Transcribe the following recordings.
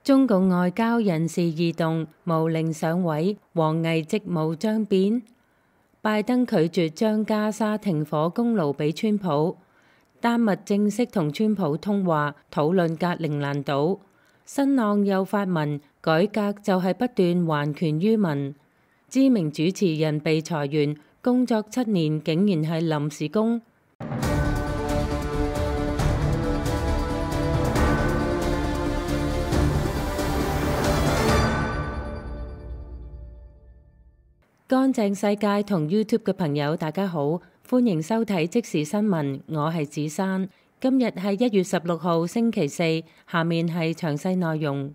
中共外交人事異動，毛寧上位，王毅職務將變。拜登拒絕將加沙停火功勞俾川普。丹麥正式同川普通話，討論格陵蘭島。新浪又發文，改革就係不斷還權於民。知名主持人被裁員，工作7年竟然係臨時工。乾淨世界同 YouTube 嘅朋友，大家好，歡迎收睇即時新聞，我係子珊。今日係1月16號星期四，下面係詳細內容。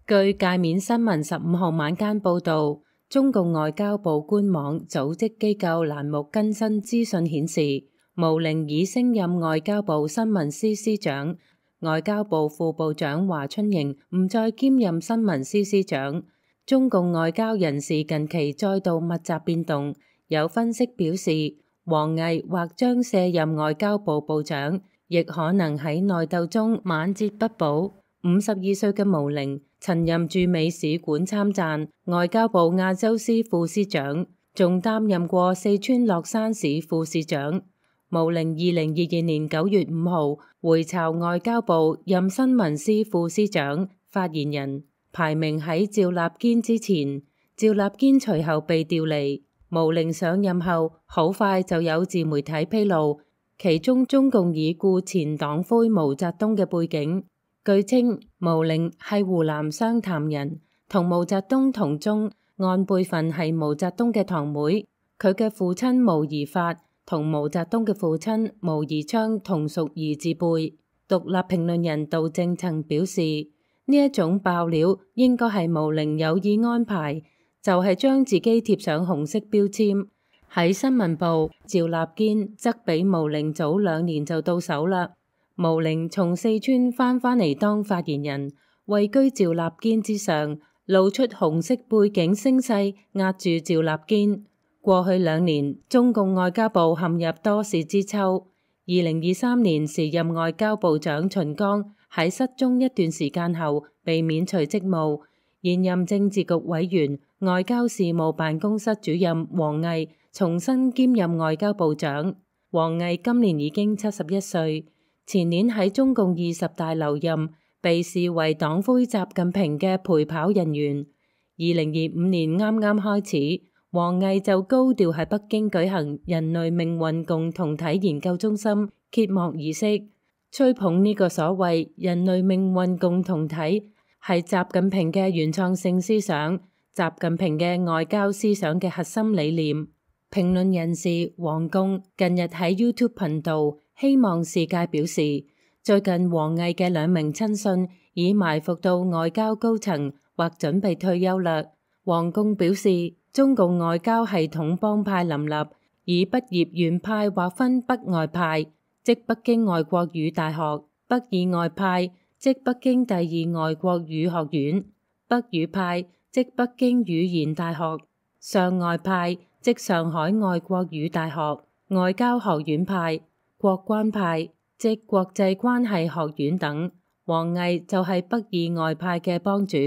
據界面新聞15號晚間報導，中共外交部官網組織機構欄目更新資訊顯示，毛寧已升任外交部新聞司司長，外交部副部長華春瑩唔再兼任新聞司司長。中共外交人事近期再度密集變動，有分析表示，王毅或將卸任外交部部長，亦可能喺內鬥中晚節不保。52歲嘅毛寧曾任駐美使館參贊、外交部亞洲司副司長，仲擔任過四川樂山市副市長。毛寧2022年9月5號回巢外交部，任新聞司副司長、發言人。排名喺趙立堅之前，趙立堅隨後被調離。毛寧上任後，好快就有自媒體披露，其中中共已故前黨魁毛澤東嘅背景。據稱，毛寧係湖南湘潭人，同毛澤東同宗，按輩分係毛澤東嘅堂妹。佢嘅父親毛宜發同毛澤東嘅父親毛宜昌同屬兒子輩。獨立評論人杜正曾表示，呢一種爆料應該係毛寧有意安排，就係將自己貼上紅色標籤。喺新聞部，趙立堅則比毛寧早2年就到手啦。毛寧從四川返嚟當發言人，位居趙立堅之上，露出紅色背景聲勢壓住趙立堅。過去2年，中共外交部陷入多事之秋。2023年時任外交部長秦剛喺失蹤一段時間後被免除職務，現任政治局委員、外交事務辦公室主任王毅重新兼任外交部長。王毅今年已經71歲，前年喺中共20大留任，被視為黨魁習近平嘅陪跑人員。2025年啱啱開始，王毅就高調喺北京舉行人類命運共同體研究中心揭幕儀式，吹捧呢個所謂人類命運共同體係習近平嘅原創性思想，習近平嘅外交思想嘅核心理念。評論人士王貢近日喺 YouTube 頻道希望世界表示，最近王毅嘅2名親信已埋伏到外交高層或準備退休啦。王貢表示，中共外交系統幫派林立，以畢業院派劃分北外派，即北京外國語大學；北以外派，即北京第2外國語學院；北語派，即北京語言大學；上外派，即上海外國語大學；外交學院派、國關派，即國際關係學院等。王毅就係北以外派嘅幫主。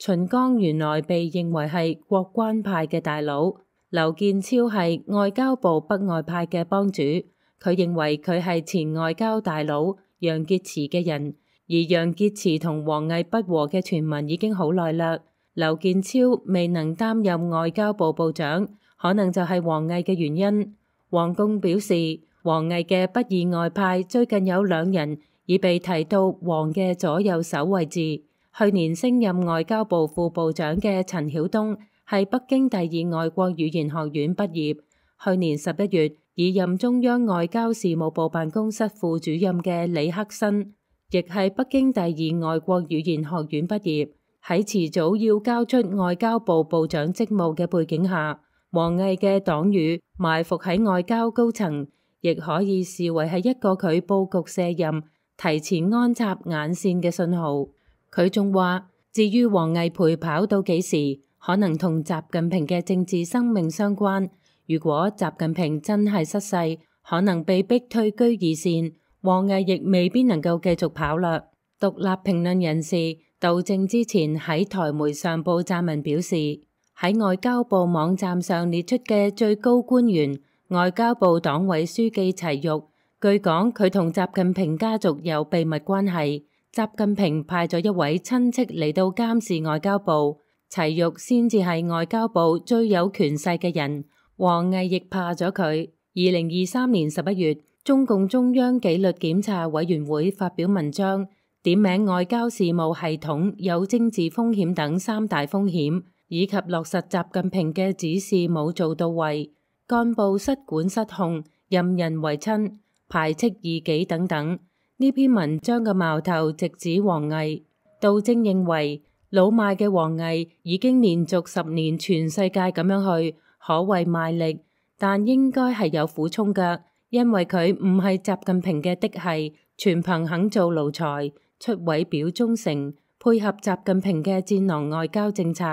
秦剛原來被認為係國關派嘅大佬，劉建超係外交部北外派嘅幫主，佢認為佢係前外交大佬楊潔篪嘅人，而楊潔篪同王毅不和嘅傳聞已經好耐啦。劉建超未能擔任外交部部長，可能就係王毅嘅原因。王貢表示，王毅嘅北以外派最近有2人已被提到王嘅左右手位置。去年升任外交部副部長嘅陳曉東係北京第2外國語言學院畢業，去年11月已任中央外交事務部辦公室副主任嘅李克新，亦係北京第2外國語言學院畢業。喺遲早要交出外交部部長職務嘅背景下，王毅嘅黨羽埋伏喺外交高層，亦可以視為係一個佢佈局卸任、提前安插眼線嘅信號。佢仲話，至於王毅陪跑到幾時，可能同習近平嘅政治生命相關。如果習近平真係失勢，可能被逼退居二線，王毅亦未必能夠繼續跑啦。獨立評論人士杜正之前喺台媒上報撰文表示，喺外交部網站上列出嘅最高官員外交部黨委書記齊玉，據講佢同習近平家族有秘密關係，習近平派咗一位親戚嚟到監視外交部，齊玉先至係外交部最有權勢嘅人，王毅亦怕咗佢。2023年11月，中共中央紀律檢查委員會發表文章，點名外交事務系統有政治風險等三大風險，以及落實習近平嘅指示冇做到位，幹部失管失控，任人唯親，排斥異己等等。呢篇文章嘅矛頭直指王毅。杜正認為，老邁嘅王毅已經連續10年全世界咁樣去，可謂賣力。但應該係有苦衷㗎，因為佢唔係習近平嘅嫡系，全憑肯做奴才，出位表忠誠，配合習近平嘅戰狼外交政策，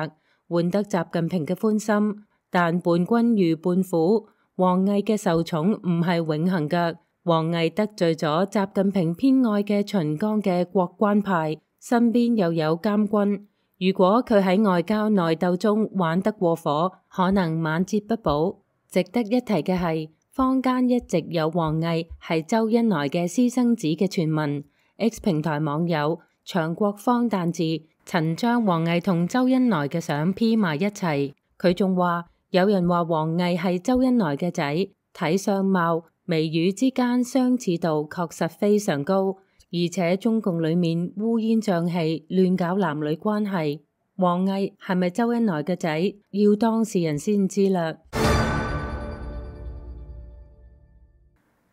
換得習近平嘅歡心。但伴君如伴虎，王毅嘅受寵唔係永恆㗎。王毅得罪咗習近平偏愛嘅秦剛嘅國關派，身邊又有監軍，如果佢喺外交內鬥中玩得過火，可能晚節不保。值得一提嘅係，坊間一直有王毅係周恩來嘅私生子嘅傳聞。X 平台網友長國方誕字曾將王毅同周恩來嘅相 P 埋一齊，佢仲話有人話王毅係周恩來嘅仔，睇相貌眉宇之間相似度確實非常高，而且中共裏面烏煙瘴氣，亂搞男女關係。王毅係咪周恩來嘅仔，要當事人先知啦。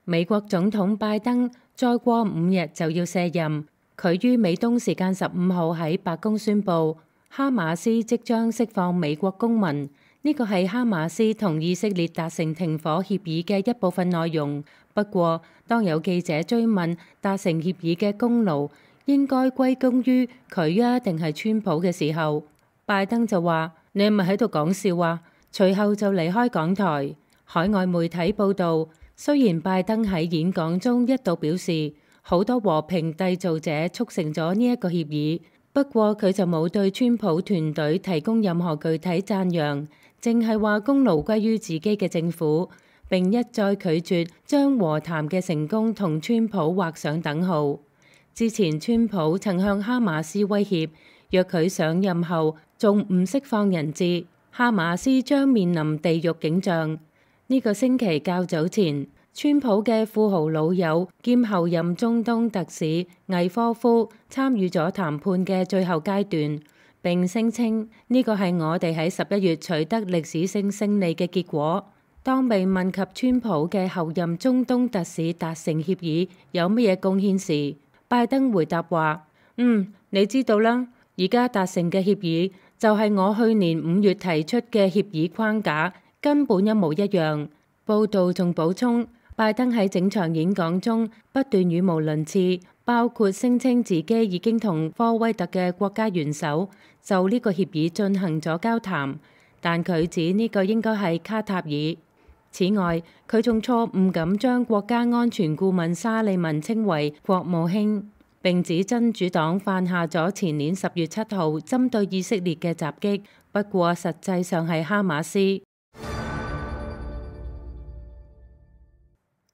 美國總統拜登再過5日就要卸任，佢於美東時間15號喺白宮宣布，哈馬斯即將釋放美國公民。呢個係哈馬斯同以色列達成停火協議嘅一部分內容。不過，當有記者追問達成協議嘅功勞應該歸功於佢啊定係川普嘅時候，拜登就話：你係咪喺度講笑啊？隨後就離開港台。海外媒體報導，雖然拜登喺演講中一度表示好多和平締造者促成咗呢一個協議，不過佢就冇對川普團隊提供任何具體讚揚，淨係話功勞歸於自己嘅政府，並一再拒絕將和談嘅成功同川普畫上等號。之前川普曾向哈馬斯威脅，若佢上任後仲唔釋放人質，哈馬斯將面臨地獄景象。呢個星期較早前，川普嘅富豪老友兼後任中東特使魏科夫參與咗談判嘅最後階段，並聲稱呢個係我哋喺11月取得歷史性勝利嘅結果。當被問及川普嘅後任中東特使達成協議有乜嘢貢獻時，拜登回答話：你知道啦，而家達成嘅協議就係我去年5月提出嘅協議框架。根本一模一樣。報道仲補充，拜登喺整場演講中不斷語無倫次，包括聲稱自己已經同科威特嘅國家元首就呢個協議進行咗交談，但佢指呢個應該係卡塔爾。此外，佢仲錯誤咁將國家安全顧問沙利文稱為國務卿，並指真主黨犯下咗前年10月7號針對以色列嘅襲擊，不過實際上係哈馬斯。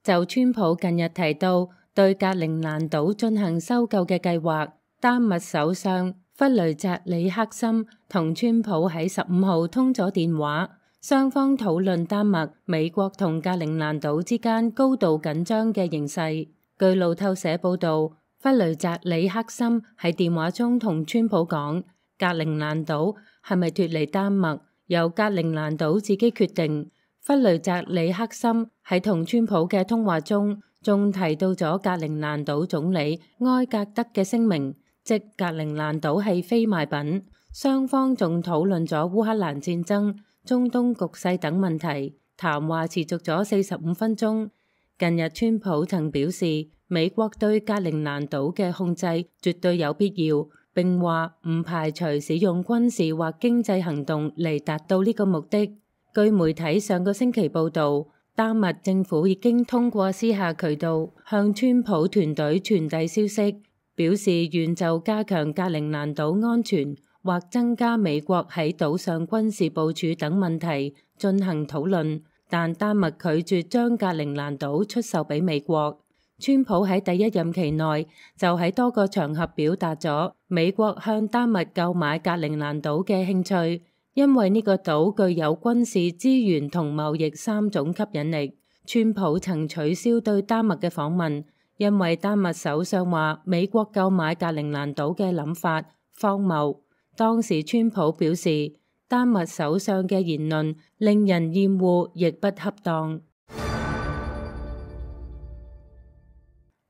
就川普近日提到對格陵蘭島進行搜救嘅計劃，丹麥首相弗雷澤里克森同川普喺15號通咗電話，雙方討論丹麥、美國同格陵蘭島之間高度緊張嘅形勢。據路透社報導，弗雷澤里克森喺電話中同川普講，格陵蘭島係咪脫離丹麥，由格陵蘭島自己決定。弗雷澤里克森喺同川普嘅通話中，仲提到咗格陵蘭島總理埃格德嘅聲明，即格陵蘭島係非賣品。雙方仲討論咗烏克蘭戰爭、中東局勢等問題，談話持續咗45分鐘。近日川普曾表示，美國對格陵蘭島嘅控制絕對有必要，並話唔排除使用軍事或經濟行動嚟達到呢個目的。據媒體上個星期報導，丹麥政府已經通過私下渠道向川普團隊傳遞消息，表示願就加強格陵蘭島安全或增加美國喺島上軍事部署等問題進行討論，但丹麥拒絕將格陵蘭島出售俾美國。川普喺第一任期內就喺多個場合表達咗美國向丹麥購買格陵蘭島嘅興趣，因為呢個島具有軍事資源同貿易三種吸引力。川普曾取消對丹麥嘅訪問，因為丹麥首相話美國購買格陵蘭島嘅諗法荒謬。當時川普表示，丹麥首相嘅言論令人厭惡，亦不恰當。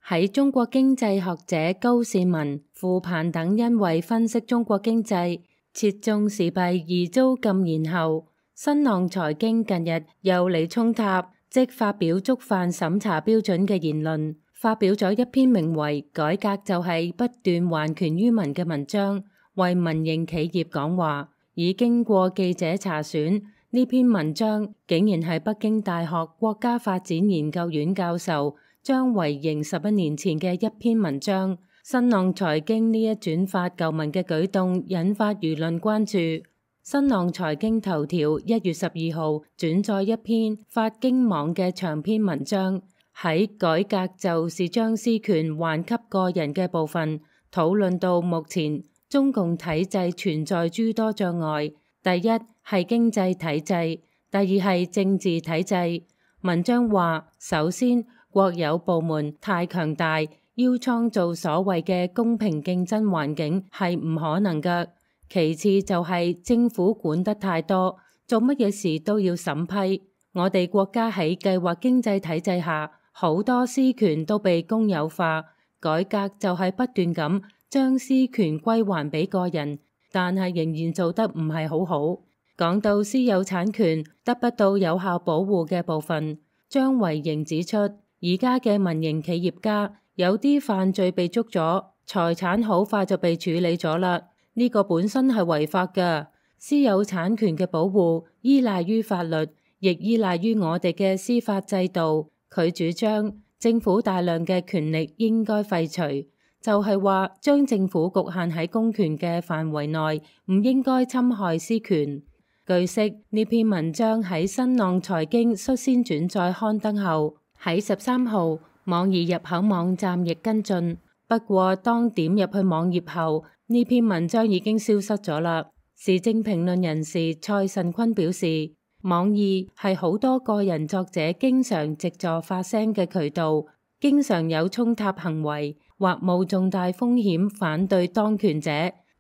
喺中國經濟學者高士文、傅鵬等因為分析中國經濟切中時弊而遭禁言後，新浪財經近日又嚟衝塔，即發表觸犯審查標準嘅言論，發表咗一篇名為《改革就係不斷還權於民》嘅文章，為民營企業講話。已經過記者查選，呢篇文章竟然係北京大學國家發展研究院教授張維迎11年前嘅一篇文章。新浪財經呢一轉發舊文嘅舉動引發輿論關注。新浪財經頭條1月12號轉載一篇發經網嘅長篇文章，喺改革就是將私權還給個人嘅部分，討論到目前中共體制存在諸多障礙，第一係經濟體制，第二係政治體制。文章話，首先國有部門太強大，要創造所謂嘅公平競爭環境係唔可能㗎。其次就係政府管得太多，做乜嘢事都要審批。我哋國家喺計劃經濟體制下，好多私權都被公有化，改革就係不斷咁將私權歸還俾個人，但係仍然做得唔係好好。講到私有產權得不到有效保護嘅部分，張維迎指出，而家嘅民營企業家有啲犯罪被捉咗，財產好快就被處理咗啦。呢個本身係違法㗎。私有產權嘅保護依賴於法律，亦依賴於我哋嘅司法制度。佢主張政府大量嘅權力應該廢除，就係話將政府局限喺公權嘅範圍內，唔應該侵害私權。據悉，呢篇文章喺新浪財經率先轉載刊登後，喺13號網易入口網站亦跟進。不過當點入去網頁後，呢篇文章已經消失咗啦。時政評論人士蔡慎坤表示，網易係好多個人作者經常藉助發聲嘅渠道，經常有衝塔行為或冒重大風險反對當權者，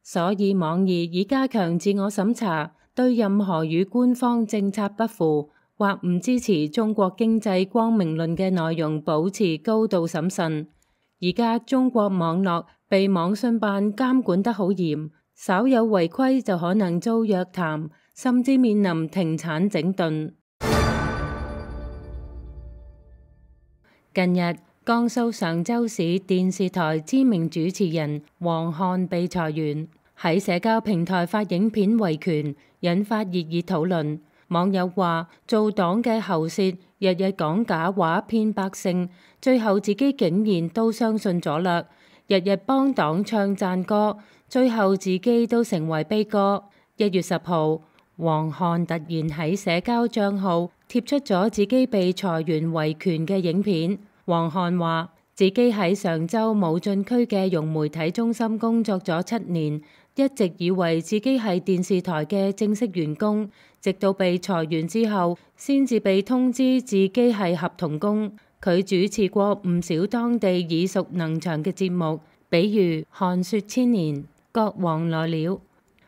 所以網易已加強自我審查，對任何與官方政策不符或唔支持中國經濟光明論嘅內容保持高度審慎。而家中國網絡被網信辦監管得好嚴，稍有違規就可能遭約談，甚至面臨停產整頓。近日，江蘇常州市電視台知名主持人黃漢被裁員，喺社交平台發影片維權，引發熱議討論。網友話：做黨嘅喉舌，日日講假話騙百姓，最後自己竟然都相信咗啦。日日幫黨唱讚歌，最後自己都成為悲歌。1月10號，黃漢突然喺社交帳號貼出咗自己被裁員維權嘅影片。黃漢話自己喺常州武進區嘅融媒體中心工作咗7年，一直以為自己係電視台嘅正式員工，直到被裁員之後，先至被通知自己係合同工。佢主持過唔少當地耳熟能詳嘅節目，比如《看說千年》《國王來了》。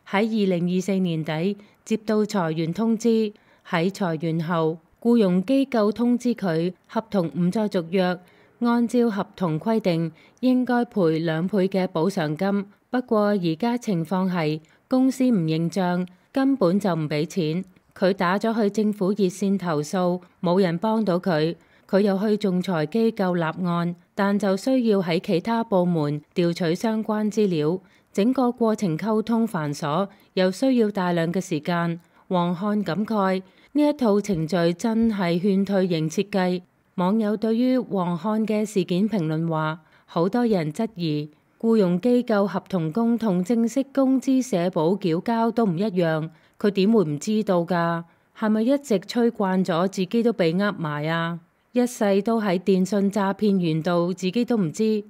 喺2024年底接到裁員通知，喺裁員後，僱傭機構通知佢合同唔再續約，按照合同規定應該賠2倍嘅補償金。不過而家情況係公司唔認賬，根本就唔俾錢。佢打咗去政府熱線投訴，冇人幫到佢。佢又去仲裁機構立案，但就需要喺其他部門調取相關資料，整個過程溝通繁瑣，又需要大量嘅時間。黃漢感慨呢一套程序真係勸退型設計。網友對於黃漢嘅事件評論話，好多人質疑僱傭機構合同工同正式工資社保繳交都唔一樣，佢點會唔知道㗎？係咪一直吹慣咗，自己都被呃埋啊？一世都喺電信詐騙園度，自己都唔知。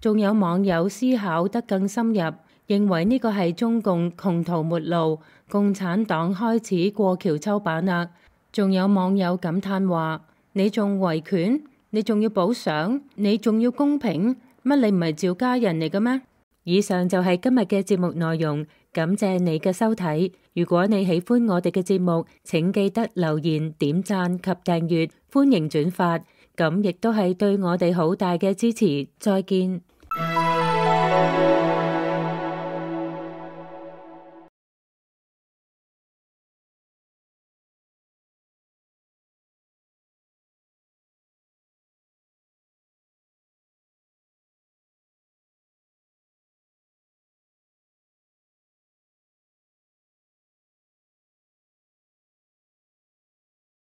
仲有網友思考得更深入，認為呢個係中共窮途末路，共產黨開始過橋抽板啦。仲有網友感嘆話：你仲維權？你仲要補償？你仲要公平？乜你唔係趙家人嚟嘅咩？以上就係今日嘅節目內容，感謝你嘅收睇。如果你喜歡我哋嘅節目，請記得留言、點讚及訂閱，歡迎轉發，咁亦都係對我哋好大嘅支持。再見。